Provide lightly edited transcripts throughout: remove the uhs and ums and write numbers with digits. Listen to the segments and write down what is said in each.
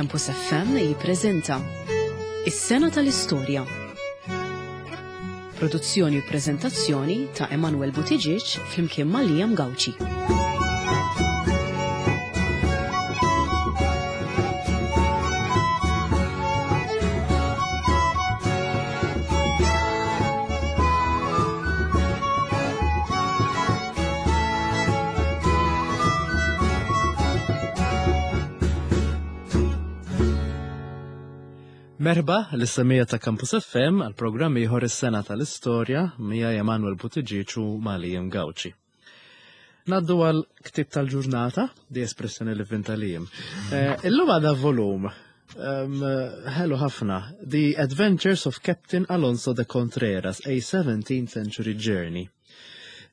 Campus FM jippreżenta Is-Sena tal-Istorja. Produzzjoni u preżentazzjoni ta' Emanuel Buttigieg flimkien ma' Liam Gauci. Merħba l-issemija ta' Campus FM għal programm ieħor is-sena tal-istorja mija Emanuel Buttigieg u Malijim Gauci. Naddu għal ktib tal-ġurnata, di espressjoni li vinta lijim. Eh, illum għadha volum ħelu ħafna, The Adventures of Captain Alonso de Contreras, a 17th Century Journey.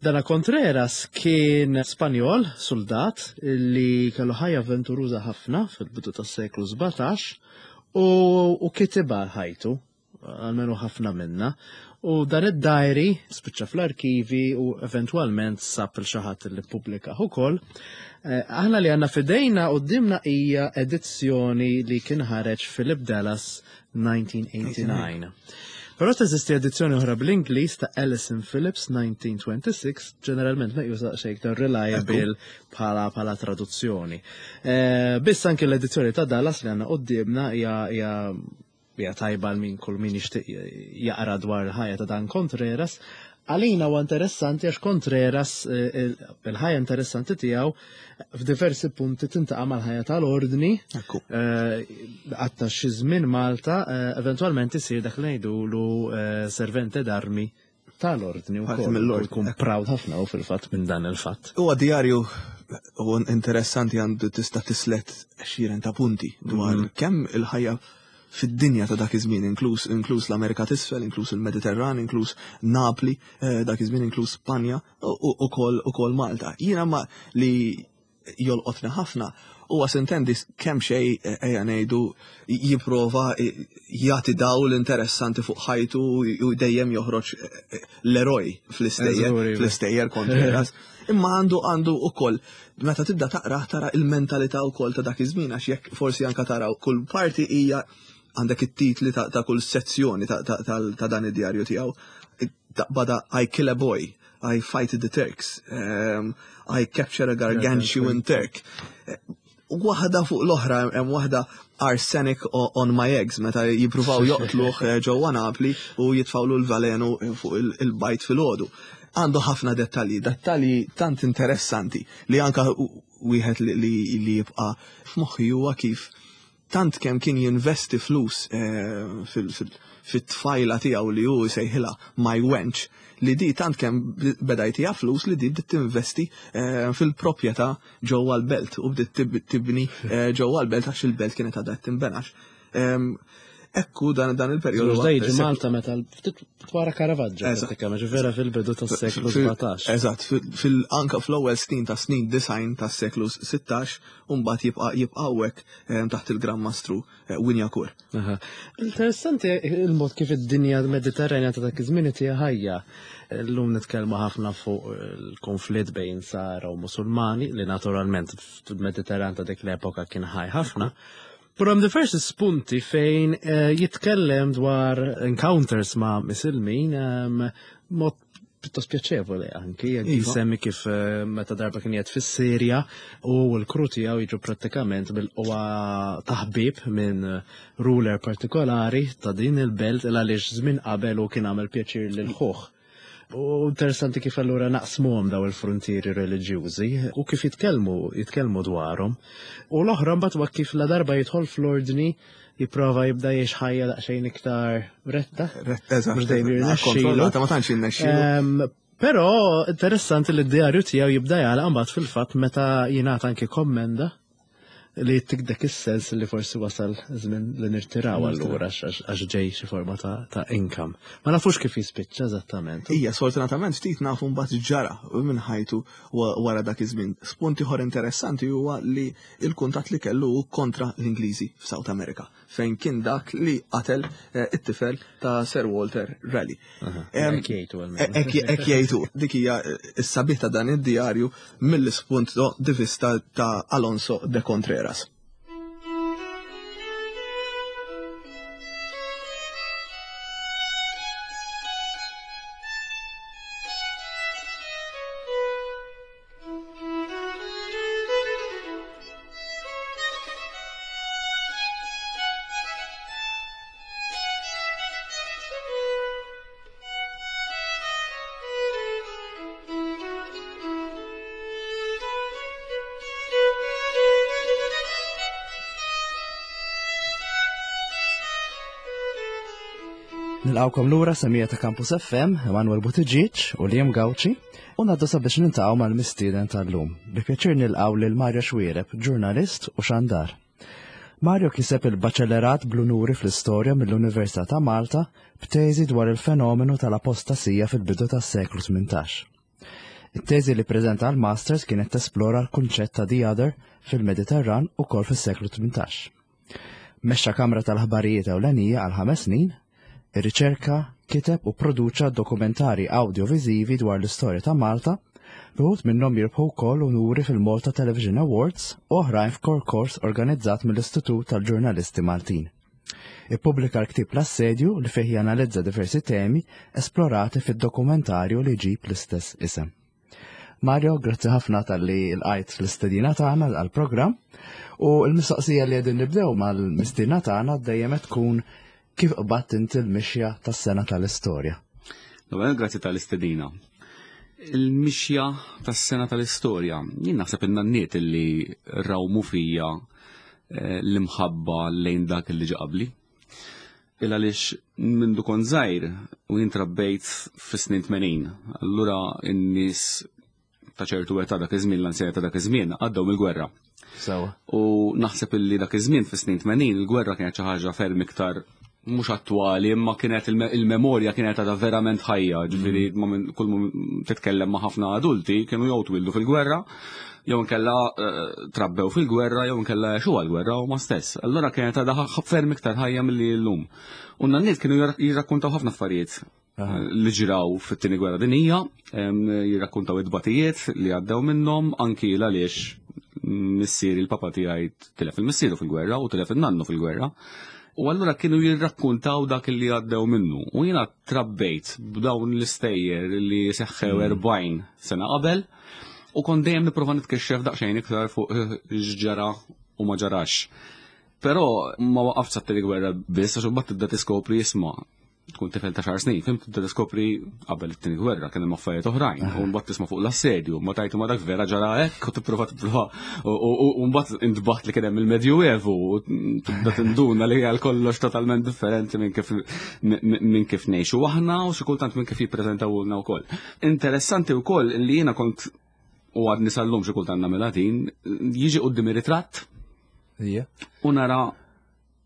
Dana Contreras kien Spanjol, soldat, li kellu ħajja avventuruża ħafna fil-bidu tas-seklu 17 u, u kitibha ħajtu, għalmenu ħafna minna. U dan id-diary spiċċa fl-arkivi u eventwalment sab il xi ħadd li ppubblika ukoll. Eh, aħna li għandna fidejna qudiemna hija edizzjoni li kien ħareġ Philip Dallas 1989. Però teżisti edizzjoni oħra bl-Ingliż ta' Alison Phillips 1926, ġeneralment meqjusa xejn iktar reliable bħala bħala traduzzjoni. Eh, biss anke l-edizzjoni ta' Dallas li għandna qudiemna hija hija tajba għal min kull min jixtieq jaqra dwar il-ħajja ta' dan Contreras. Għalina huwa interessanti għax Contreras eh, il-ħajja interessanti tiegħu f'diversi punti tintaqa' mal-ħajja tal-ordni. Eh, għatta xi żmien Malta, eh, eventwalment isir dak li ngħidulu servente d'armi tal-ordni u jkun proud ħafna u fil-fatt minn dan il-fatt. Huwa djarju u interessanti għandu tista' tislet xiren ta' punti dwar mhm. kemm il-ħajja fid-dinja ta' dak iż-żmien, inkluż inkluż l-Amerika t'isfel, inkluż il-Mediterran, inkluż Napli, eh, dak iż-żmien inkluż Spanja u ukoll Malta. Jiena ma li jolqotni ħafna huwa sintendi kemm xej eh, ejja ngħidu jipprova eh, jagħti dawl interessanti fuq ħajtu u dejjem joħroġ eh, l-eroj fl-istejjer fl-istejjer Contreras. Imma għandu għandu ukoll meta tibda taqra tara il-mentalità wkoll ta' dak iż-żmien għax jekk forsi anka tara kull parti hija għandek it-titli ta' kull sezzjoni ta' dan id-djarju tiegħu. Taqbada I kill a boy, I fight the Turks, um, I capture a gargantuan Turk. Waħda fuq l-oħra hemm waħda arsenic on my eggs meta jippruvaw joqtluh eh, ġewwa Napli u jitfawlu l-valenu fuq il-bajt fil-ħodu. Għandu ħafna dettalji, dettalji tant interessanti li anka wieħed li jibqa' f'moħħi huwa kif tant kemm kien jinvesti flus eh, fit-tfajla tiegħu li hu jsejħilha my wench li di tant kemm beda jtiha flus li di bdiet tinvesti eh, fil-proprjetà ġewwa l-belt u bdiet tibni eh, ġewwa l-belt għax il-belt kienet għadha tinbenax. Ehm, ekku dan dan il-perjodu. Ġdejġi Malta meta ftit wara Caravaggio, pratikament, ġifieri fil-bidu tas-seklu 17. Eżatt, fil-anka fl-ewwel snin ta' snin design tas-seklu 16 u mbagħad jibqa' jibqa' hawnhekk eh, taħt il-Gran Mastru eh, Winjakur. Interessanti il-mod kif id-dinja Mediterranja ta' dak iż-żmien hija ħajja. Illum nitkellmu ħafna fuq il-konflitt bejn Sara u Musulmani li naturalment fil-Mediterran ta' dik l-epoka kien ħaj ħafna. Però hemm diversi spunti fejn eh, jitkellem dwar encounters ma' misilmin ehm, mod pjuttost pjaċevoli anki, anki iva. semmi kif eh, meta darba kien jgħid fis-Sirja u l-kru tiegħu jiġu prattikament bil-qwa taħbib minn ruler partikolari ta' din il-belt il għaliex żmien qabel u kien għamel pjaċir lil ħuh. U interessanti kif allura naqsmuhom daw il-frontieri reliġjużi u kif jitkellmu jitkellmu dwarhom. U l-oħra mbagħad huwa kif la darba jidħol fl-ordni jipprova jibda jgħix ħajja daqsxejn iktar retta. Retta, eżatt. Mhux dejjem jirnexxielu. Ma tantx jirnexxielu. Però interessanti li d-djarju tiegħu jibda jagħlaq mbagħad fil-fatt meta jingħata anki kommenda li jittik dak is-sens li forsi wasal żmien li nirtiraw allura għax ġej xi forma ta' income. Ma nafux kif jispiċċa eżattament. Ija, sfortunatament ftit nafu mbagħad ġara minn ħajtu wara dak iż-żmien. Spunt ieħor interessanti huwa li l-kuntatt li kellu kontra l-Ingliżi f'South America, fejn kien dak li qatel eh, it-tifel ta' Sir Walter Raleigh. Hekk jgħidu. Hekk jgħidu. Dik hija s-sabiħ ta' dan id-djarju mill-ispunt di vista ta' Alonso de Contreras. Nilqawkom lura semija ta' Campus FM, Emanuel Buttigieg u Liam Gauci, u naddu sabiex nintaqgħu mal-mistieden tal-lum. Bi pjaċir nilqgħu lil Mario Xwiereb, ġurnalist u xandar. Mario kiseb il-baċellerat bl-unuri fl-istorja mill-Università ta' Malta b'teżi dwar il-fenomenu tal-apostasija fil-bidu tas-seklu 18. It-teżi li preżenta għal Masters kienet tesplora l-kunċett ta' The Other fil-Mediterran ukoll fis-seklu 18. Mexxa kamra tal-aħbarijiet ewlenija għal ħames snin, irriċerka, kiteb u pproduċa dokumentari awdjoviżivi dwar l-istorja ta' Malta, b'uħud minnhom jirbħu wkoll unuri fil-Malta Television Awards u oħrajn f'korkors organizzat mill-Istitut tal-Ġurnalisti Maltin. Ippubblika l-ktieb L-Assedju li fih janalizza diversi temi esplorati fid-dokumentarju li jġib l-istess isem. Mario, grazzi ħafna tal-li l-għajt l-istedina tagħna għal-programm u l-mistoqsija li qegħdin nibdew mal-mistiedna tagħna dejjem qed tkun kif qbadt inti l-mixja tas-sena tal-istorja. L-ewwel grazzi tal-istedina. Il-mixja tas-sena tal-istorja, jien naħseb in-nanniet li rawmu fija eh, l-imħabba lejn dak li ġa qabli. Il għaliex mindu kont żgħir u jien trabbejt fis-snin 80. Allura n-nies ta' ċertu età dak iż-żmien, l-anzjani ta' dak iż-żmien għaddew mill-gwerra. Sewa. U naħseb illi dak iż-żmien fis-snin 80 il-gwerra kienet xi ħaġa ferm iktar mhux attwali imma kienet il-memorja kienet għadha verament ħajja, ġifieri mm. kull titkellem ma' ħafna adulti kienu jew twildu fil-gwerra jew inkella eh, trabbew fil-gwerra jew inkella għexu għall-gwerra huma stess. Allura kienet għadha ferm iktar ħajja milli llum. U n-nanniet kienu jirrakkuntaw ħafna affarijiet eh, li ġraw fit-tieni gwerra dinija, jirrakkuntaw id-batijiet li għaddew minnhom anki għaliex missieri il-papa tiegħi tilef il-missieru fil-gwerra u tilef il-nannu fil-gwerra. U allura kienu jirrakkuntaw dak li għaddew minnu. U jiena trabbejt b'dawn l-istejjer li seħħew 40 mm. sena qabel U kont dejjem nipprova nitkixxef daqsxejn iktar fuq eh, x'ġara u ma ġarax. Però ma waqaft sa tieni gwerra biss għax imbagħad tibda tiskopri isma' tkun tifel ta' xar snin, fim tibda tiskopri qabel it-tieni gwerra kien hemm affarijiet oħrajn, u mbagħad tisma' fuq l-assedju, ma tajtu ma dak vera ġara hekk u tipprova tipprova u mbagħad intbaħt li kien hemm il-Medjuevu u tibda tinduna li għal kollox totalment differenti minn kif minn kif ngħixu aħna u xi kultant minn kif jippreżentawulna wkoll. Interessanti wkoll li jiena kont u għadni sal-lum xi kultant nagħmilha din, jiġi qudiem ritratt u nara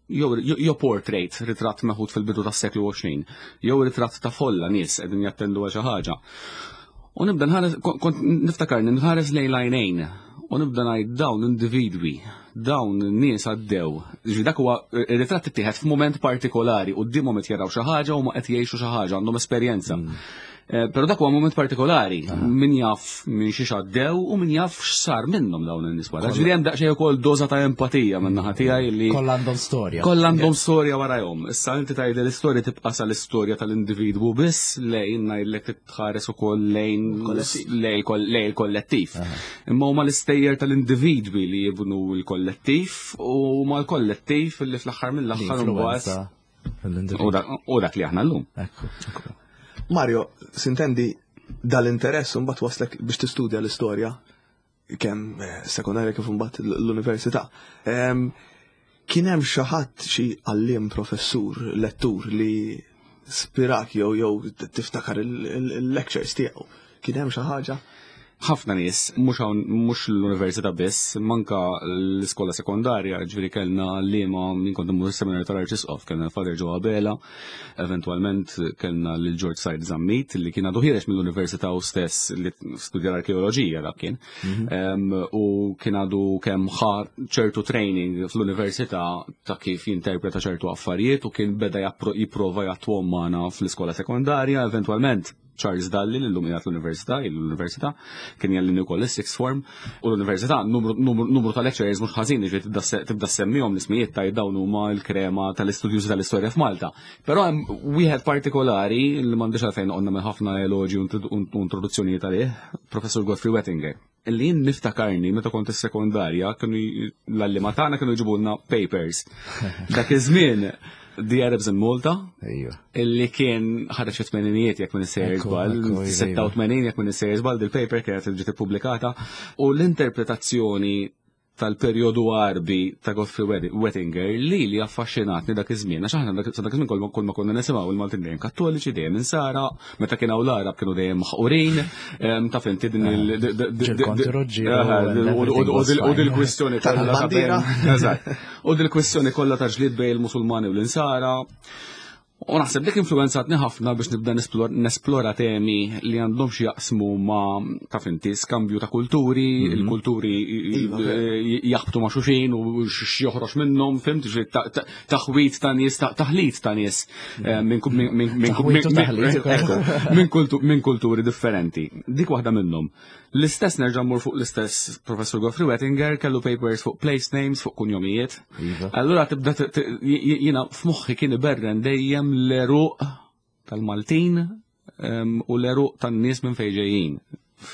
jew portrait, ritratt meħud fil-bidu tas-seklu 20, jew ritratt ta' folla nies qegħdin jattendu għal xi ħaġa. U nibda nħares, kont niftakarni nħares lejn l-għajnejn u nibda ngħid dawn individwi, dawn nies għaddew. Ġifieri dak huwa ir-ritratt ittieħed f'mument partikolari quddiemhom qed jaraw xi ħaġa u ma qed jgħixu xi ħaġa, għandhom esperjenza. Mm. Eh, però dak huwa moment partikolari, min jaf minn xi għaddew u min jaf x'sar minnhom dawn in-nies wara. Ġifieri hemm daqsxejn ukoll doża ta' empatija minn naħa tiegħi li Kollha għandhom storja. Kollha għandhom storja warajhom. Issa inti tgħid l-istorja tibqa' sal-istorja tal-individwu biss lejn ngħidlek tħares ukoll lejn lejn il-kollettiv. Imma huma l-istejjer tal-individwi li jibnu l-kollettiv u huma l-kollettiv li fl-aħħar mill-aħħar imbagħad U dak li aħna llum. Mario, sintendi dal-interess mbagħad waslek biex tistudja l-istorja kemm eh, sekondarja kif imbagħad l-università. Ehm, kien hemm xi ħadd xi għalliem professur, lettur li spirak jew jew tiftakar il-lectures tiegħu. Kien hemm xi ħaġa? Ħafna nies, mhux hawn mhux l-università biss, manka l-iskola sekondarja, ġifieri kellna liema minn kont immur is-seminarju tal-Arċisqof, kellna l-Father Joe Abela, eventwalment kellna lil George Said Zammit li kien għadu ħiereġ mill-università u stess li studja l-arkeoloġija dak kien. Mhm. U kien għadu kemm ħa ċertu training fl-università ta' kif jinterpreta ċertu affarijiet u kien beda jipprova jattwom magħna fl-iskola sekondarja, eventwalment Charles Dalli li llum qiegħed l-università, ilu l-università, kien jgħallimni wkoll is-sixth form, u l-università numru ta' lecturers mhux ħażin jiġifieri tibda semmihom l-ismijiet ta' dawn huma l-krema tal-istudjużi tal-istorja f'Malta. Però hemm wieħed partikolari li m'għandix għalfejn noqgħod nagħmel ħafna eloġi u introduzzjonijiet għalih, Professur Godfrey Wettinger. Illi jien niftakarni meta kont is-sekondarja kienu l-għalliema tagħna kienu jġibulna papers. Dak iż-żmien The Arabs in Malta, illi kien ħareġ fit-tmeninijiet jekk minn sejjer żball, 86 jekk minn sejjer żball, dil-paper kienet ġiet ippubblikata u l-interpretazzjoni tal-perjodu Għarbi ta' Godfrey Wettinger li li affaxxinatni dak iż-żmien għax aħna sa dak iż-żmien kull ma konna nisimgħu il-Maltin dejjem Kattoliċi, dejjem Insara, meta kien hawn l-Għarab kienu dejjem maħqurin, taf inti din il U dil-kwistjoni tal-bandiera. Eżatt. U dil-kwistjoni kollha ta' ġlied bejn il-Musulmani u l-Insara. U naħseb dik influenzatni ħafna biex nibda nesplora temi li għandhom xi jaqsmu ma' taf inti skambju ta' kulturi, il-kulturi Iva, jaħbtu ma' xulxin u x'joħroġ minnhom, fimt, ġifieri taħwit ta' nies, taħlit ta' nies Taħwit u taħlit ukoll. minn kulturi differenti. Dik waħda minnhom. L-istess nerġa' mmur fuq l-istess Professur Godfrey Wettinger kellu papers fuq place names, fuq kunjomijiet. Iva. Allura tibda jiena f'moħħi kien iberren dejjem l-eruq tal-Maltin u l-eruq tan-nies minn fejn ġejjin.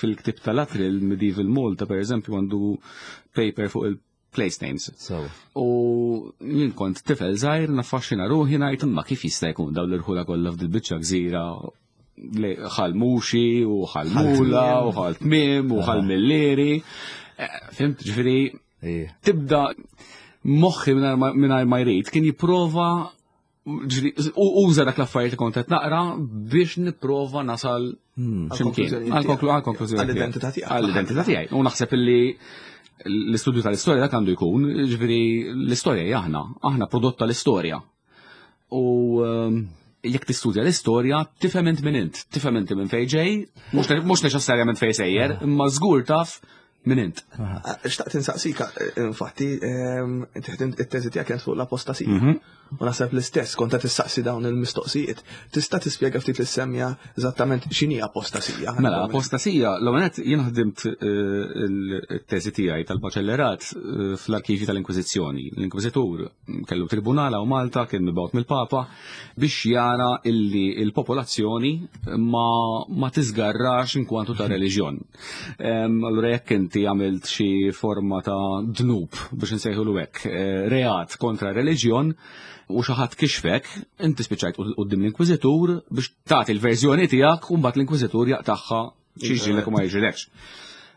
Fil-ktieb tal-Atril Medieval Malta, per eżempju, għandu paper fuq il-place names. U jien kont tifel żgħir naffaxxina ruħi ngħid imma kif jista' jkun dawn l-irħula kollha f'dil-biċċa gżira ħal Muxi u ħal Mula u ħal Tmiem u ħal Millieri. Fimt, ġifieri tibda moħħi mingħajr ma jrid kien jipprova u uża dak l-affarijiet li kont qed naqra biex nipprova nasal x'imkien. Għal-konklużjoni. Għall-identità tiegħek. Għall-identità tiegħi. U naħseb illi l-istudju tal-istorja dak għandu jkun, ġifieri l-istorja hija aħna, aħna prodott tal-istorja. U jekk tistudja l-istorja, tifhem int min int, tifhem inti minn fejn ġej, mhux neċessarjament fejn sejjer, imma żgur taf min int. Xtaqt insaqsika, infatti, inti ħdimt it-teżi tiegħek kienet fuq l-apostasija. U naħseb l-istess, kont qed tistaqsi dawn il-mistoqsijiet. Tista' tispjega ftit lis-semja eżattament x'inhi apostasija? Mela, apostasija, l-ewwel nett jien ħdimt it-teżi tiegħi tal-baċellerat fl-arkivji tal-Inkwiżizzjoni. L-Inkwiżitur kellu tribunal hawn Malta, kien mibgħut mill-Papa biex jara illi il-popolazzjoni ma tiżgarrax inkwantu ta' reliġjon. Allura jekk inti għamilt xi forma ta' dnub biex nsejħulu hekk, reat kontra reliġjon u xi ħadd kixfek, inti spiċċajt quddiem l-Inkwiżitur biex tagħti l-verżjoni tiegħek u mbagħad l-Inkwiżitur jaqtagħha xi jiġrilek u ma jiġrilekx.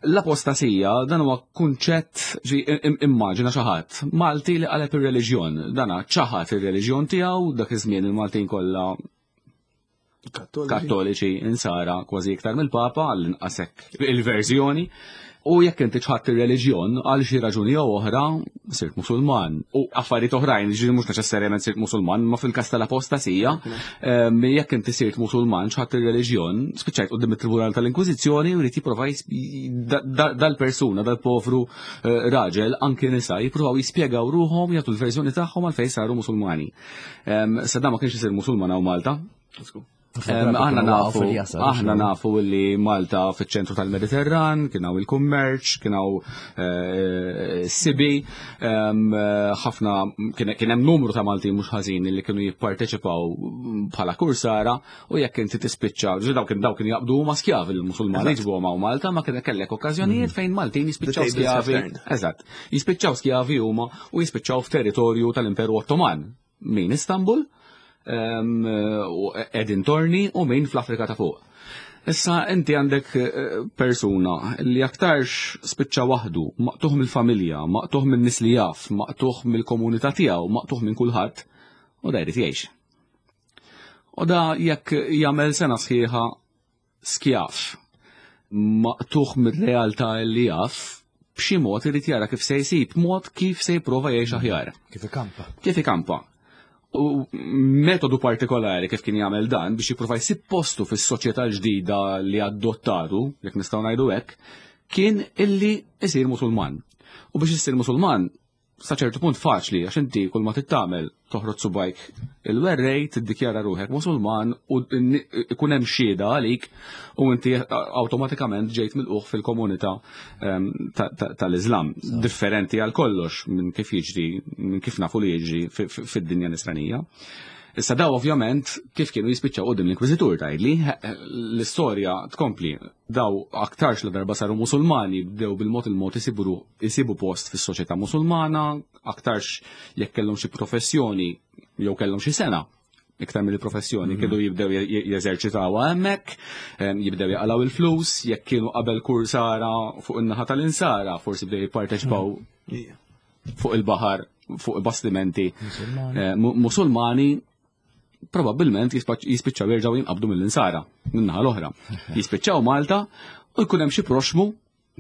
L-apostasija dan huwa kunċett ġi immaġina xi ħadd Malti li qaleb ir-reliġjon, dana ċaħad ir-reliġjon tiegħu dak iż-żmien il-Maltin kollha kattoliċi insara kważi iktar mill-Papa għall-inqas hekk il-verżjoni. U jekk inti ċħadt ir-reliġjon għal xi raġuni jew oħra sirt Musulman. U affarijiet oħrajn, ġifieri mhux neċessarjament sirt Musulman, ma fil-każ tal-apostasija, jekk inti sirt Musulman ċħadt ir-reliġjon, spiċċajt quddiem it-Tribunal tal-Inkwiżizzjoni u jrid jipprova dal-persuna, dal-povru raġel, anki nisa, jippruvaw jispjegaw ruħhom, jagħtu l-verżjoni tagħhom għalfejn saru Musulmani. Sa dan ma kienx isir Musulman hawn Malta. Aħna nafu li Malta fiċ-ċentru tal-Mediterran, kien hawn il-kummerċ, kien hawn sibi, ħafna kien hemm numru ta' Maltin mhux ħażin li kienu jipparteċipaw bħala kursara u jekk inti tispiċċa, ġi dawk dawk kienu jaqbdu huma skjavi l-Musulmani ġibuhom hawn Malta, ma kien kellek okkażjonijiet fejn Maltin jispiċċaw skjavi. Eżatt, jispiċċaw skjavi huma u jispiċċaw f'territorju tal-Imperu Ottoman. Min Istanbul, u Edin Torni u min fl-Afrika ta' fuq. Issa inti għandek persuna li aktarx spiċċa waħdu, maqtuħ mill-familja, maqtuħ minn nies li jaf, maqtuħ mill-komunità tiegħu, maqtuħ minn kulħadd, u da jrid jgħix. U da jekk jagħmel sena sħiħa skjaf, maqtuħ mir-realtà li jaf, b'xi mod irid jara kif se jsib mod kif se jipprova jgħix aħjar. Kif ikampa. Kif ikampa. U metodu partikolari kif kien jagħmel dan biex jipprova jsib postu fis-soċjetà ġdida li adottatu, jekk nistgħu ngħidu hekk, kien illi isir Musulman. U biex isir Musulman, sa ċertu punt faċli, għax inti kull ma tittamel toħroġ subajk il-werrej, tiddikjara ruħek Musulman u ikun hemm xhieda għalik u inti awtomatikament ġejt milquh fil-komunità tal-Iżlam. Differenti għal kollox minn kif jiġri, minn kif nafu li jiġri fid-dinja nisranija. Issa daw ovvjament kif kienu jispiċċaw quddiem l-Inkwiżitur tgħidli, l-istorja tkompli. Daw aktarx la darba saru Musulmani, bdew bil-mod il-mod isibu post fis-soċjetà Musulmana, aktarx jekk kellhom xi professjoni jew kellhom xi sena. iktar mill-professjoni, kienu jibdew jeżerċitawha hemmhekk, jibdew jaqalgħu il-flus, jekk kienu qabel kursara fuq in-naħa tal-insara, forsi bdew jipparteċipaw fuq il-baħar, fuq bastimenti Musulmani, probabbilment jispiċċaw jerġgħu jinqabdu mill-insara min-naħa l-oħra. Jispiċċaw Malta u jkun hemm xi proxmu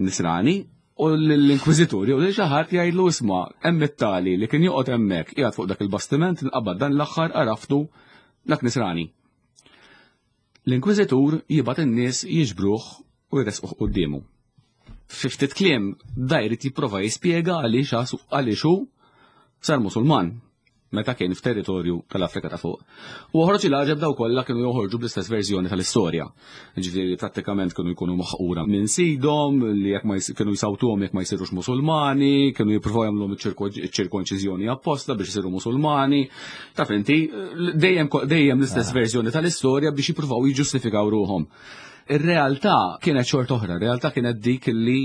nisrani u l-inkwiżitur jew lil xi ħadd jgħidlu isma' hemm it-tali li kien joqgħod hemmhekk qiegħed fuq dak il-bastiment nqabad dan l-aħħar għaraftu dak nisrani. L-inkwiżitur jibgħat in-nies jiġbruh u jressquh quddiemu. Fi ftit kliem da jrid jipprova jispjega għaliex għaliex hu sar Musulman meta kien f'territorju tal-Afrika ta' fuq. U oħroġ il-għaġeb daw kollha kienu joħorġu bl-istess verżjoni tal-istorja. Ġifieri prattikament kienu jkunu maħqura minn sidhom, li jekk ma kienu jsawtuhom jekk ma jsirux Musulmani, kienu jippruvaw jagħmluhom iċ-ċirkonċiżjoni apposta biex isiru Musulmani. Taf inti, dejjem dejjem l-istess ah. verżjoni tal-istorja biex jippruvaw jiġġustifikaw ruħhom. Ir-realtà kienet xort oħra, ir-realtà kienet dik li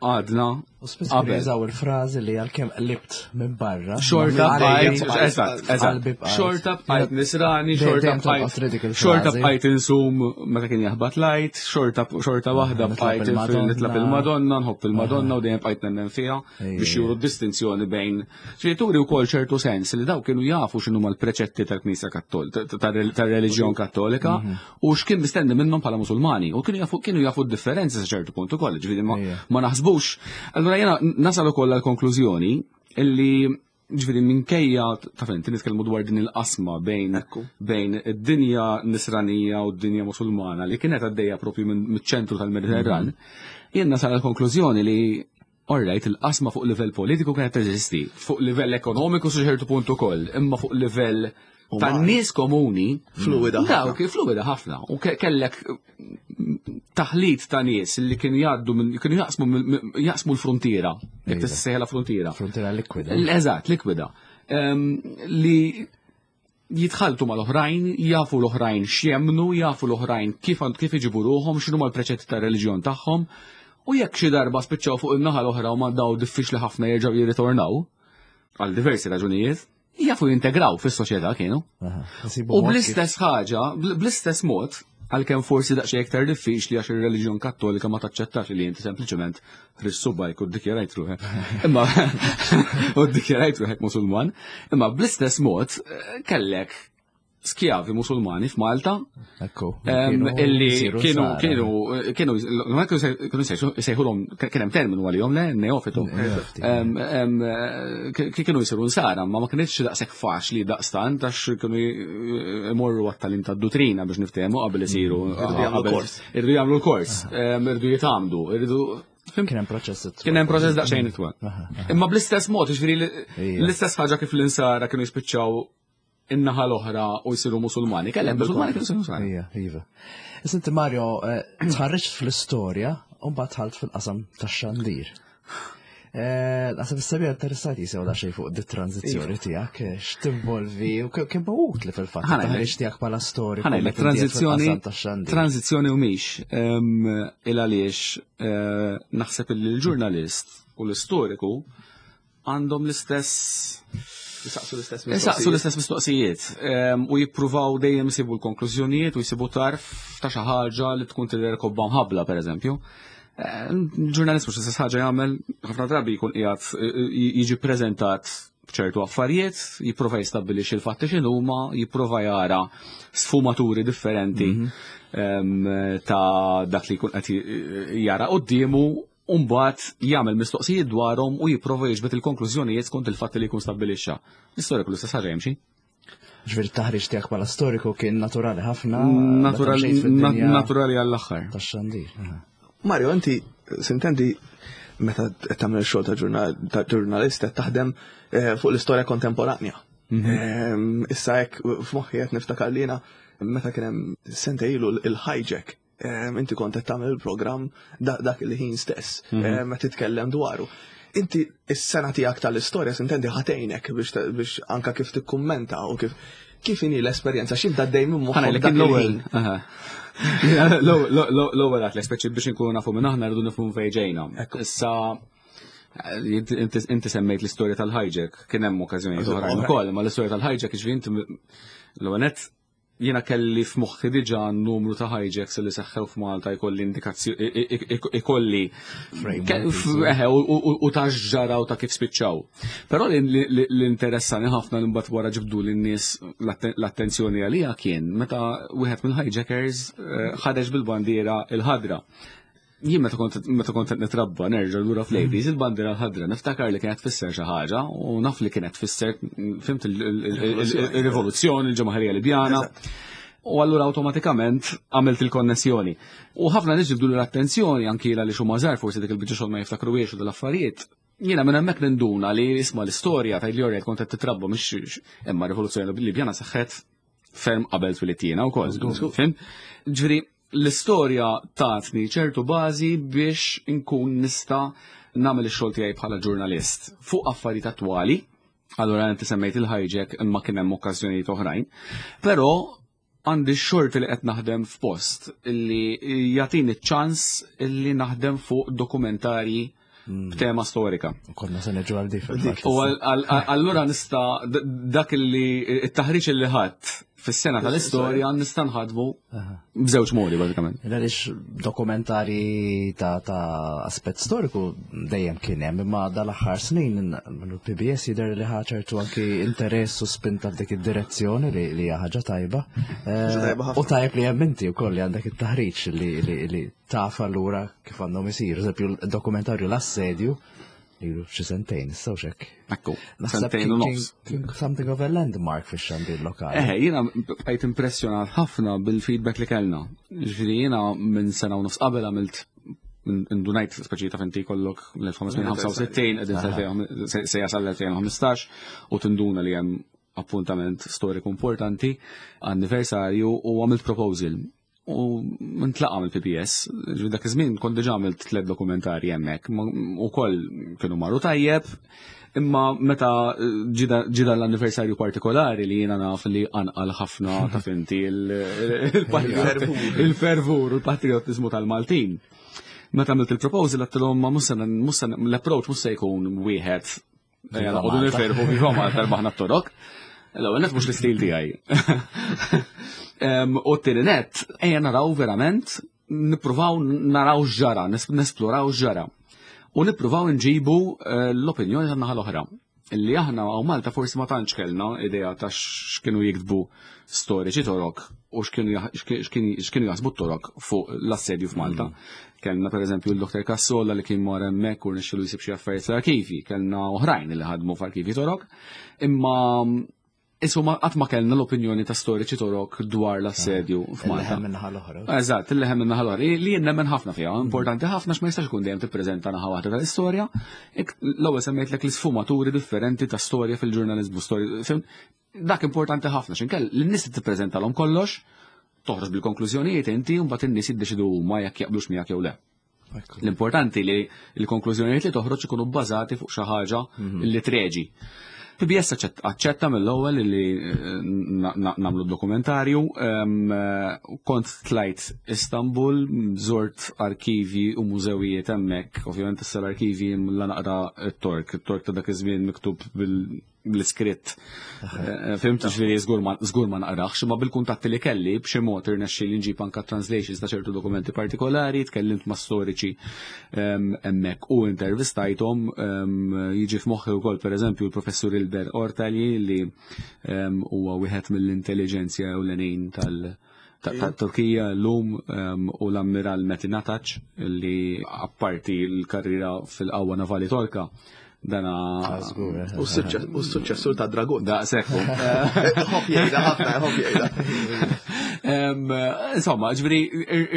għadna. U spiss jużaw il-frażi li għalkemm qlibt minn barra. Xorta bqajt, eżatt, eżatt. Xorta bqajt nisrani, xorta bqajt. Xorta bqajt insum meta kien jaħbat lajt, xorta xorta waħda bqajt nitlab il-Madonna, nħobb il-Madonna u dejjem bqajt nemmen fiha biex juru distinzjoni bejn. Ġifieri turi wkoll ċertu sens li daw kienu jafu x'inhuma l-preċetti tal-Knisja Kattolika, tar-reliġjon Kattolika u x'kien mistenni minnhom bħala Musulmani u kienu jafu kienu jafu d-differenzi sa ċertu punt ukoll, ġifieri ma, ma naħsbux. Allura jiena nasal ukoll għall-konklużjoni illi ġifieri minkejja ta' fejn nitkellmu dwar din il-qasma bejn bejn id-dinja nisranija u d-dinja Musulmana li kienet għaddejja propju miċ-ċentru tal-Mediterran, mhm. jien nasal għall-konklużjoni li Alright, il-qasma fuq livell politiku kienet teżisti, fuq livell ekonomiku sa ċertu punt ukoll, imma fuq livell ta' nies komuni. Fluida. Dawk, fluida ħafna. U kellek taħlit ta' nies li kienu jgħaddu kienu jaqsmu jaqsmu l-frontiera, jekk iva. tissejħla frontiera. Frontiera likwida. Eżatt, likwida. Li jitħaltu mal-oħrajn, jafu l-oħrajn x'jemmnu, jafu l-oħrajn kif kif iġibu ruħhom, x'inhuma l-preċetti tar-reliġjon tagħhom, u jekk xi darba spiċċaw fuq in-naħa l-oħra u ma daw diffiċli ħafna jerġgħu jirritornaw, għal diversi raġunijiet, jafu jintegraw fis-soċjetà kienu. U bl-istess ħaġa, bl-istess mod, għalkemm forsi daqsxejn iktar diffiċli għax ir-reliġjon Kattolika ma taċċettax li inti sempliċement ħriġt subgħajk u ddikjarajt ruħek. Imma u ddikjarajt ruħek Musulman. Imma bl-istess mod eh, kellek skjavi Musulmani f'Malta. Ekku. Illi kienu kienu kienu kienu sejħulhom kien hemm terminu għalihom le neofitu. Kienu jsiru nsara, ma ma kienx daqshekk faċli daqstant għax kienu imorru għat-talim tad-dutrina biex niftehmu qabel isiru. Irridu jagħmlu kors. Irridu jagħmlu l-kors, irridu jitgħammdu, irridu Kien hemm proċess itwal. Kien hemm proċess daqsxejn itwal. Imma bl-istess mod, ġifieri l-istess ħaġa kif l-insara kienu jispiċċaw in-naħa l-oħra u jsiru Musulmani. Kellem Musulmani kienu jsiru Musulmani. Ija, iva. Issa inti Mario, eh, tħarriġt fl-istorja u mbagħad dħalt fil-qasam tax-xandir. Eh, naħseb is-sabiħ interessat jisew da xejn fuq dit tranzizzjoni iva. tiegħek, eh, x'tinvolvi u kemm utli fil-fatt taħriġ tiegħek bħala storja. Ħanajlek tranzizzjoni tranzizzjoni u mhix il għaliex eh, naħseb li l-ġurnalist u l-istoriku għandhom l-istess Jisaqsu l-istess mistoqsijiet. l-istess mistoqsijiet u jippruvaw dejjem jsibu l-konklużjonijiet u jsibu tarf ta' xi ħaġa li tkun tidher kobba mħabbla pereżempju. Ġurnalist mhux l-istess ħaġa jagħmel ħafna drabi jkun qiegħed jiġi ppreżentat b'ċertu affarijiet, jipprova jistabbilixxi l-fatti x'inhuma, jipprova jara sfumaturi differenti mhm. ta' dak li jkun qed jara quddiemu u mbagħad jagħmel mistoqsijiet dwarhom u jipprova jiġbed il-konklużjonijiet skont il-fatti li jkun stabbilixxa. L-istorja l-istess ħaġa jimxi. Ġifieri t-taħriġ tiegħek bħala storiku kien naturali ħafna. Naturali għall-aħħar. Tax-xandir. Mario, inti sintendi meta tagħmel xogħol ta' ġurnalist qed taħdem eh, fuq l-istorja kontemporanja. Mhm. Ehm, issa hekk f'moħħi qed niftakar lina meta kien hemm sente ilu il-hijack inti kont qed tagħmel il-programm dak il-ħin stess, mhm. meta titkellem dwaru. Inti is-sena tiegħek tal-istorja sintendi ħatejnek biex anka kif tikkummenta u kif kif inhi l-esperjenza x'inta dej minn moħħok dak il-ħin. L-ewwel għat l speċi biex inkunu nafu minn aħna rridu nifhmu fejn ġejna. Issa Inti semmejt l-istorja tal-hijack, kien hemm okkażjonijiet oħrajn ukoll, ma l-istorja tal-hijack ġifieri inti l-ewwel jiena kelli f'moħħi diġà numru ta' hijacks li seħħew f'Malta jkolli indikazzjoni ikolli u ta' ġara u ta' kif spiċċaw. Però l-interessani ħafna li mbagħad wara ġibdu lin-nies l-attenzjoni għalija kien meta wieħed mill-hijackers eh, ħareġ bil-bandiera il-ħadra. Jien meta kont meta kont qed nitrabba nerġa' lura fl-80s il-bandiera l-ħadra niftakar li kienet tfisser xi ħaġa u naf li kienet tfisser fimt il-rivoluzzjoni, il-ġemaħirija Libjana. U allura awtomatikament għamilt il-konnessjoni. U ħafna nies ġibdu l-attenzjoni anki li xi żgħar forsi dik il-biċċa xogħol ma jiftakruhiex u dal-affarijiet. Jiena minn hemmhekk ninduna li isma' l-istorja tgħid li orjed kont qed titrabba mhix imma rivoluzzjoni Libjana seħħet ferm qabel twilidt jiena wkoll. Fim? Ġifieri L-istorja tatni ċertu bażi biex inkun nista' nagħmel ix-xogħol tiegħi bħala ġurnalist fuq affarijiet attwali. Allura inti semmejt il-hijack imma kien hemm okkażjonijiet oħrajn. Però għandi x-xorti li qed naħdem f'post li jagħtini ċ-ċans li naħdem fuq dokumentarji b'tema storika. Konna se neġu għal dik. U allura nista' dak li it-taħriġ li ħadd fis-sena tal-istorja nista' nħadmu b'żewġ modi bażikament. Għaliex dokumentari ta' aspett storiku dejjem kien hemm, imma dal-aħħar snin il-PBS jidher li ħa ċertu anki interess u spinta f'dik id-direzzjoni li hija ħaġa tajba. Eh, u tajb li hemm inti wkoll li għandek it-taħriġ li taf allura kif għandhom isiru. Eżempju, dokumentarju l-assedju, ilu xi sentejn, issa xek. Ekku, sentejn u nofs. Something of a landmark fi xandir lokali. Eh, jiena bqajt impressjonat ħafna bil-feedback li kellna. Ġifieri jiena minn sena u nofs qabel għamilt indunajt speċi ta' finti kollok l-1565 qegħdin se jasal l-2015 u tinduna li hemm appuntament storiku importanti, anniversarju u għamilt proposal U ntlaqa mill-PPS, ġifieri dak iż-żmien kont diġà għamilt tliet dokumentarji hemmhekk, ukoll kienu marru tajjeb, imma meta ġida l-anniversarju partikolari li jiena naf li anqal ħafna ta' finti il-fervur u l-patriotizmu tal-Maltin. Meta għamilt il-proposal għattilhom ma mhux l-approach mhux se jkun wieħed Ejja, noqogħdu nifirħu viva Malta rbaħna t-torok. L-ewwel net mhux l-istil tiegħi. U t-tieni net, ejja naraw verament, nippruvaw naraw x'ġara, nesploraw x'ġara. U nippruvaw nġibu eh, l-opinjoni tan-naħa l-oħra. Illi aħna hawn Malta forsi ma tantx kellna idea ta' x'kienu jiktbu storiċi torok u x'kienu jaħsbu t-torok fuq l-assedju f'Malta. Kellna pereżempju l-Dr. Cassola li kien mar hemmhekk u rnexxielu jsib xi affarijiet fl-arkivi, kellna oħrajn li ħadmu f'arkivi torok, imma Isu ma qatt ma kellna l-opinjoni ta' storiċi torok dwar l-assedju ah, f'Malta. Il-leħen minnaħa l-oħra. Eżatt, il-leħen minnaħa l-oħra. Li jien nemmen ħafna fiha, importanti ħafna x'ma jistax ikun dejjem tippreżenta naħa waħda tal-istorja. L-ewwel semmejtlek l-isfumaturi differenti ta' storja fil-ġurnaliżmu, Dak importanti ħafna x'inkell lin-nies tippreżentalhom kollox, toħroġ bil-konklużjonijiet inti u mbagħad in-nies jiddeċidu huma jekk jaqblux miegħek jew le. L-importanti li l-konklużjonijiet li toħroġ ikunu bbażati fuq xi ħaġa mhm. li treġi. PBS aċċetta mill-ewwel li eh, nagħmlu dokumentarju. Eh, kont tlajt Istanbul, żort arkivi u mużewijiet hemmhekk. Ovvjament issa l-arkivi la naqra t-Tork. It-Tork ta' dak iż-żmien miktub bil l-iskritt. Eh, fimt ġifieri żgur ma naqrax, imma bil-kuntatti li kelli b'xi mod irnexxi li nġib anka translations ta' ċertu dokumenti partikolari, tkellimt ma' storiċi ehm, hemmhekk u intervistajthom ehm, jiġi f'moħħi wkoll pereżempju l-professur Ilber Ortali li ehm, huwa wieħed mill-intelliġenzja ewlenin tal- ta' Turkija l-lum u l-ammiral Metin Atac li apparti l-karriera fil-qawwa navali Torka dana. Ah, eh. U s-suċċessur ta' Dragon. Da, sekku. Ħobb jgħidha ħafna, ħobb jgħidha. Insomma, ġifieri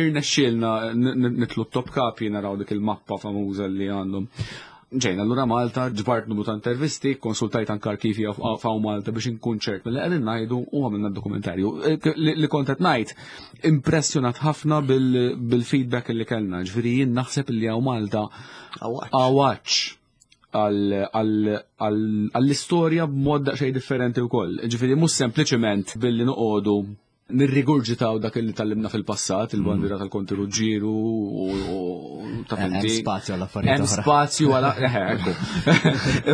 irnexxielna nitlu top kapi naraw dik il-mappa famuża li għandhom. Ġejna lura Malta, ġbart numru ta' intervisti, konsultajt anke arkivi f'hawn Malta biex inkun ċert milli qegħdin ngħidu u għamilna dokumentarju. Eh, li kont qed ngħid, impressjonat ħafna bil-feedback li kellna, ġifieri jien naħseb li hawn Malta għawaċ għall-istorja b'mod daqsxejn differenti wkoll. Ġifieri mhux sempliċement billi noqogħdu Nirrigurġitaw dak li tallimna fil-passat, il-bandiera tal-Konti Ruġġieru u ta' Hemm finti. spazju għal affarijiet Hemm oħra. spazju għal ekku.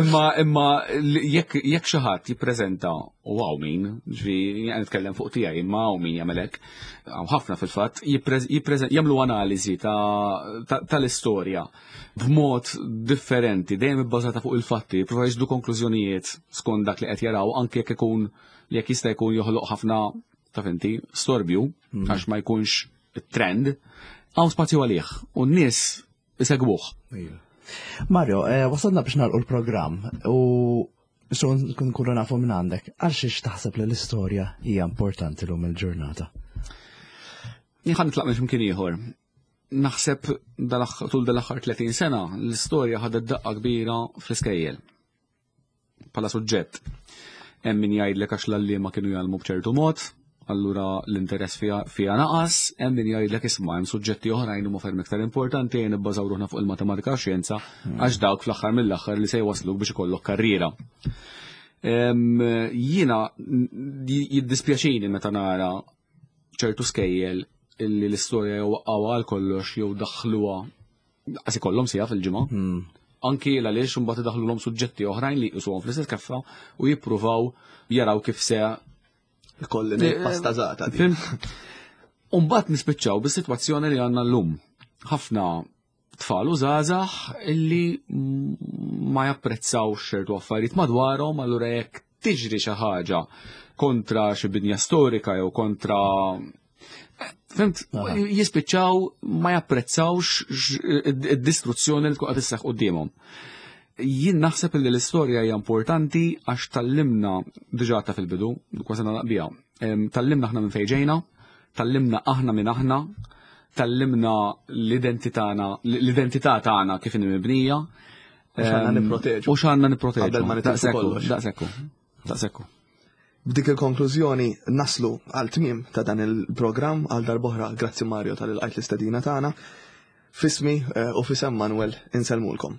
Imma imma jekk jekk xi ħadd jippreżenta u hawn min, ġifieri jien nitkellem fuq tiegħi imma hawn min jagħmel hekk, hawn ħafna fil-fatt jagħmlu analiżi tal-istorja b'mod differenti, dejjem ibbażata fuq il-fatti, jipprova jiġbdu konklużjonijiet skont dak li qed jaraw anke jekk ikun jekk jista' jkun joħloq ħafna ta' finti storbju għax ma jkunx trend, hawn spazju għalih u n-nies isegwuh. Mario, wasalna biex nagħlqu l-programm u biex nkunu nafu minn għandek, għal xiex taħseb li l-istorja hija importanti lum il-ġurnata? Jien ħa nitlaq minn x'imkien ieħor. Naħseb tul dal-aħħar 30 sena l-istorja ħadet daqqa kbira fl-iskejjel. Bħala suġġett. Hemm min jgħidlek għax l-għalliema kienu jgħallmu b'ċertu mod, allura l-interess fiha naqas, hemm min jgħidlek isma' hemm suġġetti oħrajn huma ferm iktar importanti jien nibbażaw ruħna fuq il-matematika u xjenza għax dawk fl-aħħar mill-aħħar li se jwasluk biex ikollok karriera. Jiena jiddispjaċini meta nara ċertu skejjel illi l-istorja jew waqqgħuha għal kollox jew daħluha qas ikollhom siegħa fil-ġimgħa. Anki għaliex imbagħad idaħħluhom suġġetti oħrajn li jqisuhom fl-istess keffa u jippruvaw jaraw kif se Ikolli ngħid pasta żgħata di. Fhimt? U mbagħad nispiċċaw bis-sitwazzjoni li għandna llum. Ħafna tfal u żgħażagħ illi ma japprezzawx ċertu affarijiet madwarhom, allura jekk tiġri xi ħaġa kontra xi binja storika jew kontra Fhimt, jispiċċaw ma japprezzawx id-distruzzjoni li tkun qed isseħħ quddiemhom. Jien naħseb li l-istorja hija importanti għax tallimna diġà ta' fil-bidu, kważi nagħlaq biha. Tallimna aħna minn fejn ġejna, tallimna aħna minn aħna, tallimna l-identità tagħna kif inhi mibnija. U x'għandna nipproteġu. U x'għandna nipproteġu. Qabel ma nitilfu Daqshekk hu, kollox. daqshekk hu, daqshekk hu. B'dik il-konklużjoni naslu għal tmiem ta' dan il-programm għal darb'oħra. Grazzi Mario tal-ilqajt l-istedina tagħna. Fismi u fisem Manuel insellmulkom.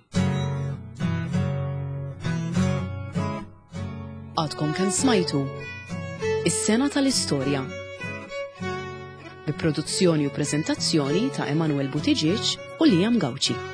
Għadkom kemm smajtu Is-Sena tal-Istorja. Bi produzzjoni u preżentazzjoni ta' Emanuel Buttigieg u Liam Gauci.